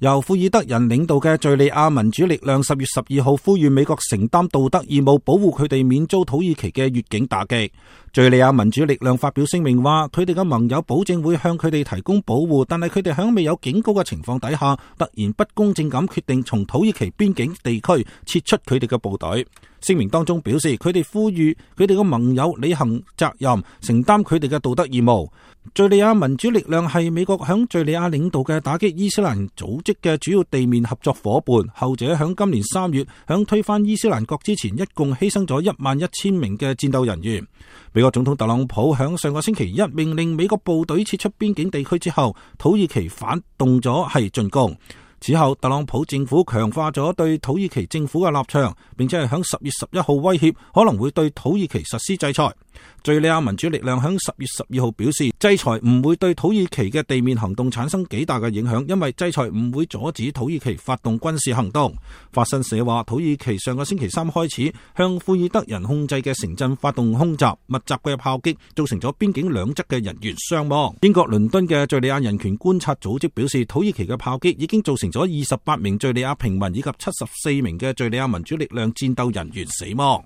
由庫爾德人領導嘅敘利亞民主力量10月12號呼籲美國承擔道德義務，保護佢哋免遭土耳其嘅越境打擊。敘利亞民主力量發表聲明話，佢哋嘅盟友保證會向佢哋提供保護，但係佢哋喺未有警告嘅情況底下，突然不公正咁決定從土耳其邊境地區撤出佢哋嘅部隊。聲明當中表示，佢哋呼籲佢哋嘅盟友履行責任，承擔佢哋嘅道德義務。敘利亞民主力量係美國響敘利亞領導嘅打擊伊斯蘭組織嘅主要地面合作夥伴，後者響今年3月響推翻伊斯蘭國之前，一共犧牲咗11000名嘅戰鬥人員。美國總統特朗普響上個星期一命令美國部隊撤出邊境地區之後，土耳其反動咗進攻。此後，特朗普政府強化咗對土耳其政府嘅立場，並且係響10月11號威脅可能會對土耳其實施制裁。敘利亞民主力量響10月12號表示，制裁唔會對土耳其嘅地面行動產生幾大嘅影響，因為制裁唔會阻止土耳其發動軍事行動。法新社話，土耳其上個星期3開始向庫爾德人控制嘅城鎮發動空襲，密集嘅炮擊造成咗邊境兩側嘅人員傷亡。英國倫敦嘅敘利亞人權觀察組織表示，土耳其嘅炮擊已經造成咗28名敘利亞平民以及74名嘅敘利亞民主力量戰鬥人員死亡。